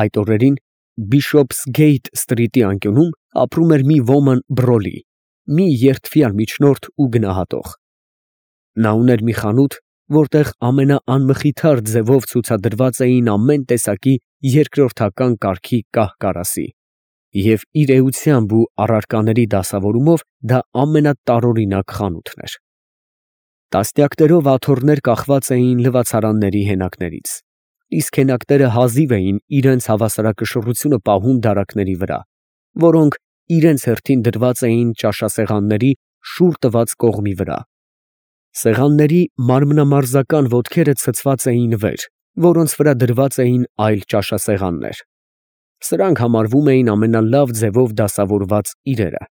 Այդ օրերին Bishopsgate սթրիթի անկյունում ապրում էր մի ոմն Բրոլի, մի երդվյալ միջնորդ ու գնահատող։ Նա ուներ մի խանութ, որտեղ ամենաանմխիթար ձևով ցուցադրված էին ամեն տեսակի երկրորդական կարգի կահ֊կարասի, և իր էությամբ ու առարկաների դասավորումով դա ամենատարօրինակ խանութն էր։ Տասնյակներով աթոռներ կախված էին լվացարանների հենակներից, իսկ հենակները հազիվ էին իրենց հավասարակշռությունը պահում դարակների վրա, որոնք իրենց հերթին դրված էին ճաշասեղանների շուռ տված կողմի վրա։ Սեղանների մարմնամարզական ոտքերը ցցված էին վեր, որոնց վրա դրված էին այլ ճաշասեղաններ։ Սրանք համարվում էին ամենալավ ձևով դասավորված իրերը։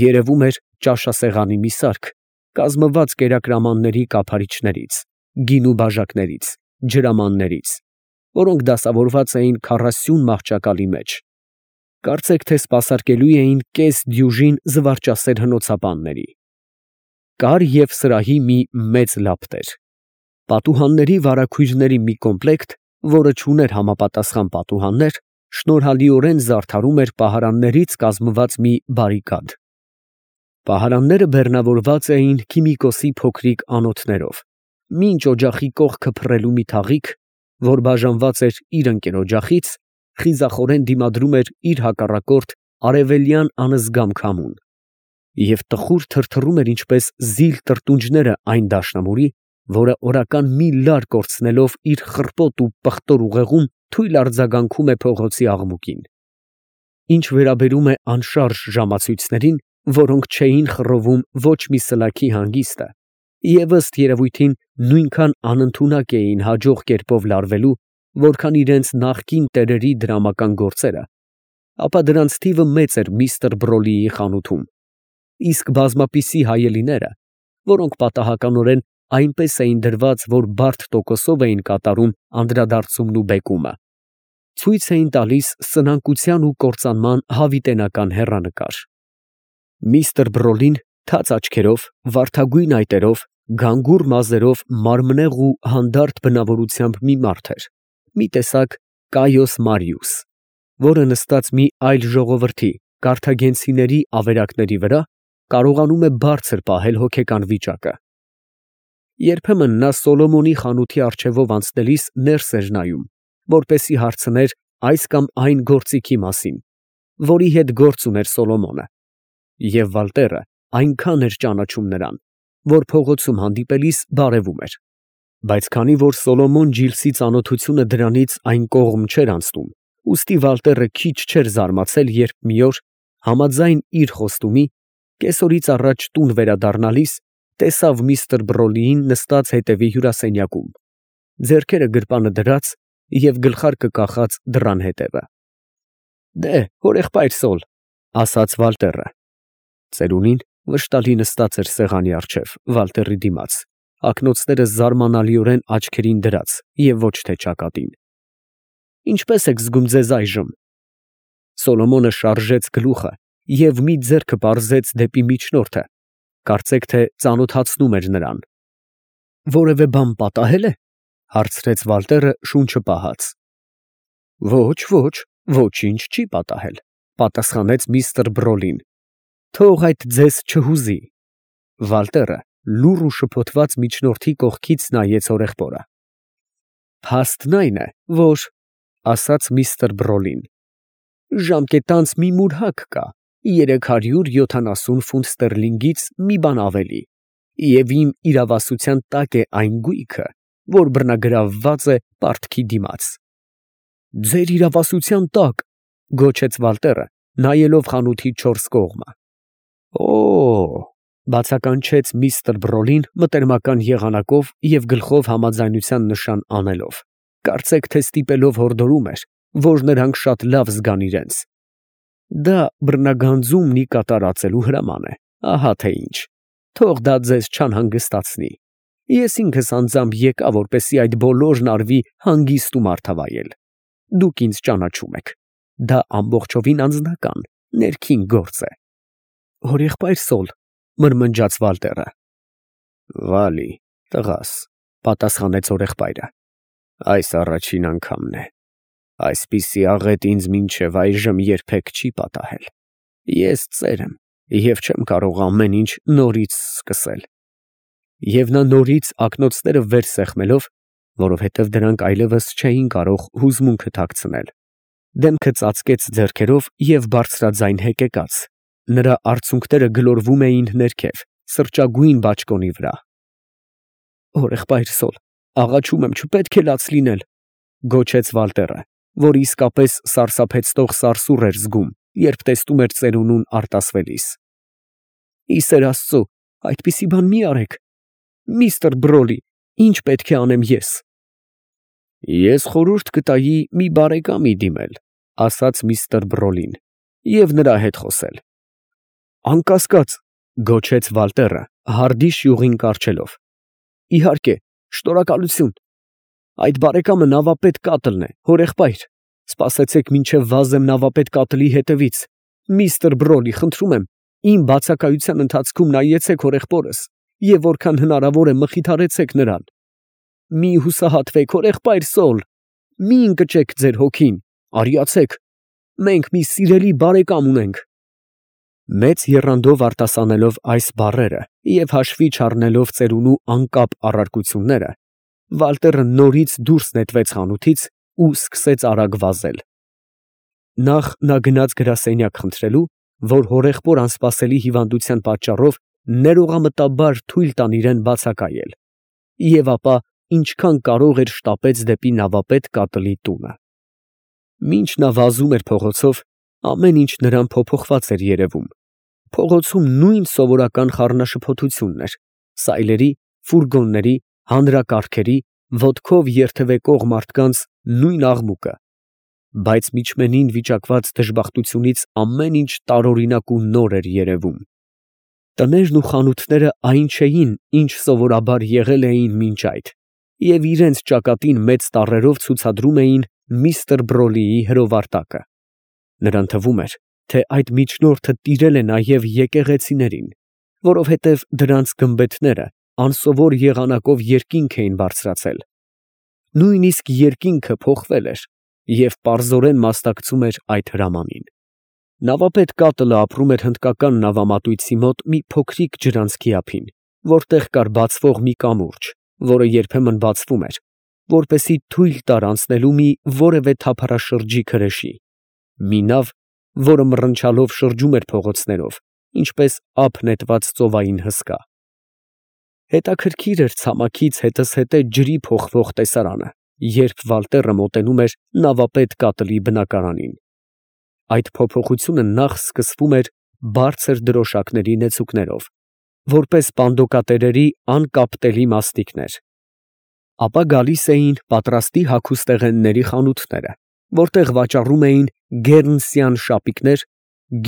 Երևում էր ճաշասեղանի մի սարք, կազմված կերակրամանների կափարիչներից, գինու բաժակներից, ջրամաններից, որոնք դասավորված էին 40 մահճակալի մեջ։ Կարծեք թե սպասարկելու էին կես դյուժին զվարճասեր հնոցաբանների։ Կար և սրահի մի մեծ լապտեր։ Պատուհանների վարագույրների մի կոմպլեկտ, որը չուներ համապատասխան պատուհաններ, շնորհալիորեն զարդարում էր պահարաններից կազմված մի բարիկադ։ Պահարանները բեռնավորված էին քիմիկոսի փոքրիկ անոթներով, մինչ օջախի կողքը փռելու մի թաղիկ, որ բաժանված էր իր ընկեր֊օջախից, խիզախորեն դիմադրում էր իր հակառակորդ արևելյան անզգամ քամուն, և տխուր թրթռում էր ինչպես զիլ տրտունջները այն դաշնամուրի, որը օրական մի լար կորցնելով իր խռպոտ ու պղտոր ուղեղում թույլ արձագանքում է փողոցի աղմուկին։ Ինչ վերաբերում է անշարժ ժամացույցներին, որոնք չէին խռովում ոչ մի սլաքի հանգիստը, և ըստ երևույթին նույնքան անընդունակ էին հաջող կերպով լարվելու, որքան իրենց նախկին տերերի դրամական գործերը, ապա դրանց թիվը մեծ էր միստր Բրոլիի խանութում, իսկ բազմապիսի հայելիները, որոնք պատահականորեն այնպես էին դրված, որ բարդ տոկոսով էին կատարում անդրադարձումն ու բեկումը, ցույց էին տալիս սնանկության ու կործանման հավիտենական հեռանկար։ Միստր Բրոլին թաց աչքերով, վարդագույն այտերով, գանգուր մազերով մարմնեղ ու հանդարտ բնավորությամբ մի մարդ էր, մի տեսակ Կայոս Մարիուս, որը նստած մի այլ ժողովրդի կարթագենցիների ավերակների վրա կարողանում է բարձր պահել հոգեկան վիճակը։ Երբեմն նա Սոլոմոնի խանութի առջևով անցնելիս ներս էր նայում, որպեսզի հարցներ այս կամ այն գործիքի մասին, որի հետ գործ ուներ Սոլոմոնը, և Վալտերը այնքան էր ճանաչում նրան, որ փողոցում հանդիպելիս բարևում էր, բայց քանի որ Սոլոմոն Ջիլսի ծանոթությունը դրանից այն կողմ չէր անցնում, ուստի Վալտերը քիչ չէր զարմացել, երբ մի օր, համաձայն իր խոստումի, կեսօրից առաջ տուն վերադառնալիս, տեսավ միստր Բրոլիին նստած հետևի հյուրասենյակում, ձեռքերը գրպանը դրած և գլխարկը կախած դռան հետևը։ «Դե, հորեղբայր Սոլ», ֊ ասաց Վալտերը։ Ծերունին վշտալի նստած էր սեղանի առջև, Վալտերի դիմաց, ակնոցները զարմանալիորեն աչքերին դրած և ոչ թե ճակատին։ «Ինչպե՞ս եք զգում ձեզ այժմ»։ Սոլոմոնը շարժեց գլուխը և մի ձեռքը պարզեց դեպի միջնորդը, կարծեք թե ծանոթացնում էր նրան։ «Որևէ բան պատահե՞լ է», ֊ հարցրեց Վալտերը շունչը պահած։ «Ոչ, ոչինչ չի պատահել», ֊ պատասխանեց միստր Բրոլին։ «Թող այդ ձեզ չհուզի»։ Վալտերը լուռ ու շփոթված միջնորդի կողքից նայեց հորեղբորը։ «Փաստն այն է, որ, ֊ ասաց միստր Բրոլին, ֊ ժամկետանց մի մուրհակ կա, 370 ֆունտ ստերլինգից մի բան ավելի, և իմ իրավասության տակ է այն գույքը, որ բռնագրավված է պարտքի դիմաց»։ «Ձեր իրավասության տակ, ֊ գոչեց Վալտերը, նայելով խանութի չորս կողմը։ «Օ՜օ», ֊ բացականչեց միստր Բրոլին մտերմական եղանակով և գլխով համաձայնության նշան անելով, կարծեք թե ստիպելով հորդորում էր, որ նրանք շատ լավ զգան իրենց։ «Դա բռնագանձումն կատարածելու հրաման է, ահա թե ինչ, թող դա ձեզ չանհանգստացնի։ Ես ինքս անձամբ եկա, որպեսզի այդ բոլորն արվի հանգիստ ու մարդավայել։ Դուք ինձ ճանաչում եք, դա ամբողջովին անձնական, ներքին գործ է»։ «Հորեղբայր Սոլ», ֊ մրմնջաց Վալտերը։ «Վալի, տղաս, ֊ պատասխանեց հորեղբայրը, ֊ այս առաջին անգամն է։ Այսպիսի աղետ ինձ մինչև այժմ երբեք չի պատահել։ Ես ծեր եմ և չեմ կարող ամեն ինչ նորից սկսել։ Եվ նա նորից ակնոցները վեր սեղմելով, որովհետև դրանք այլևս չէին կարող հուզմունքը թաքցնել, դեմքը ծածկեց ձեռքերով և բարձրաձայն հեկեկաց, նրա արցունքները գլորվում էին ներքև, սրճագույն բաճկոնի վրա։ Հորեղբայրս, աղաչում եմ, չպետք է լաց լինել, գոչեց Վալտերը, որ իսկապես սարսափեցնող սարսուռ էր զգում, երբ տեսնում էր ծերունուն արտասվելիս։ Ի սեր Աստծո, այդպիսի բան մի արեք։ Միստր Բրոլի, ինչ պետք է անեմ ես։ Ես խորհուրդ կտայի մի բարեկամի դիմել, ասաց միստր Բրոլին, և նրա հետ խոսել։ Անկասկած, գոչեց Վալտերը, հարդի շյուղին կառչելով։ Իհարկե, շնորհակալություն։ Այդ բարեկամը նավապետ Կատլն է, հորեղբայր։ Սպասեցեք մինչև վազեմ նավապետ Կատլի հետևից։ Միստր Բրոլի, խնդրում եմ, իմ բացակայության ընթացքում նայեցեք հորեղբորս և որքան հնարավոր է մխիթարեցեք նրան։ Մի հուսահատվեք, հորեղբայր Սոլ, մի ընկճեք ձեր հոգին, արիացեք, մենք մի սիրելի բարեկամ ունենք։ Մեծ եռանդով արտասանելով այս բառերը և հաշվի չառնելով ծերունու անկապ առարկությունները, Վալտերը նորից դուրս նետվեց խանութից ու սկսեց արագ վազել։ Նախ նա գնաց գրասենյակ խնդրելու, որ հորեղբոր անսպասելի հիվանդության պատճառով ներողամտաբար թույլ տան իրան բացակայել, և ապա ինչքան կարող էր շտապեց դեպի նավապետ Կատլի տունը։ Մինչ նա վազում էր փողոցով, ամեն ինչ նրան փոփոխված էր երևում։ Փողոցում նույն սովորական խառնաշփոթությունն էր, սայլերի, ֆուրգոնների, հանրակարգերի, ոտքով երթևեկող մարդկանց նույն աղմուկը, բայց միջմենին վիճակված դժբախտությունից ամեն ինչ տարօրինակ ու նոր էր երևում։ Տներն ու խանութները այն չէին, ինչ սովորաբար եղել էին մինչ այդ, և իրենց ճակատին մեծ տառերով ցուցադրում էին միստր Բրոլիի հրովարտակը։ Նրան թվում էր, թե այդ միջնորդը տիրել է նաև եկեղեցիներին, որովհետև դրանց գմբեթները անսովոր եղանակով երկինք էին բարձրացել։ Նույնիսկ երկինքը փոխվել էր և պարզորեն մասնակցում էր այդ հրամանին։ Նավապետ Կատլը ապրում էր հնդկական նավամատույցի մոտ մի փոքրիկ ջրանցքի ափին, որտեղ կար բացվող մի կամուրջ, որը երբեմն բացվում էր, որպեսզի թույլ տար անցնելու մի որևէ թափառաշրջիկ հրեշի, մի նավ, որը մռնչալով շրջում էր փողոցներով, ինչպես ափ նետված ծովային հսկա։ Հետաքրքիր էր ցամաքից հետզհետե ջրի փոխվող տեսարանը, երբ Վալտերը մոտենում էր նավապետ Կատլի բնակարանին։ Այդ փոփոխությունը նախ սկսվում էր բարձր դրոշակների նեցուկներով, որպես պանդոկատերերի անկապտելի մաստիկներ։ Ապա գալիս էին պատրաստի հագուստեղենների խանութները, որտեղ վաճառում էին գերնսյան շապիկներ,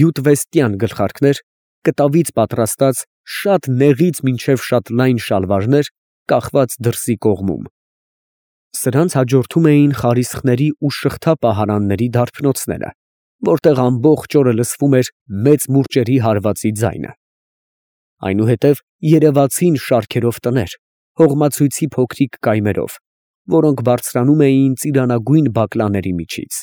գյուտվեստյան գլխարկներ, կտավից պատրաստած շատ նեղից մինչև շատ լայն շալվարներ, կախված դրսի կողմում։ Սրանց հաջորդում էին խարիսխների ու շղթա֊պահարանների դարբնոցները, որտեղ ամբողջ օրը լսվում էր մեծ մուրճերի հարվածի ձայնը։ Այնուհետև երևացին շարքերով տներ, հողմացույցի փոքրիկ կայմերով, որոնք բարձրանում էին ծիրանագույն բակլաների միջից։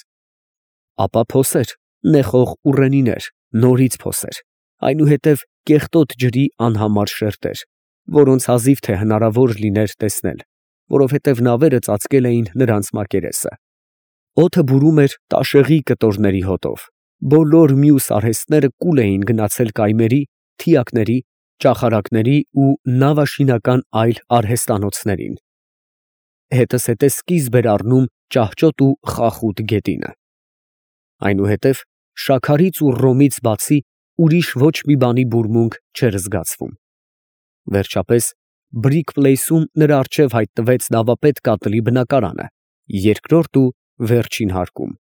Ապա փոսեր, նեխող ուռենիներ, նորից փոսեր, այնուհետև կեղտոտ ջրի անհամար շերտեր, որոնց հազիվ թե հնարավոր լիներ տեսնել, որովհետև նավերը ծածկել էին նրանց մակերեսը։ Օդը բուրում էր տաշեղի կտորների հոտով, բոլոր մյուս արհեստները կուլ էին գնացել կայմերի, թիակների, ճախարակների ու նավաշինական այլ արհեստանոցներին։ Հետզհետե սկիզբ էր առնում ճահճոտ ու խախուտ գետինը։ Այնուհետև շաքարից ու ռոմից բացի ուրիշ ոչ մի բանի բուրմունք չէր զգացվում։ Վերջապես Բրիկ Պլեյսում նրա առջև հայտնվեց նավապետ Կատլի բնակարանը, երկրորդ ու վերջին հարկում։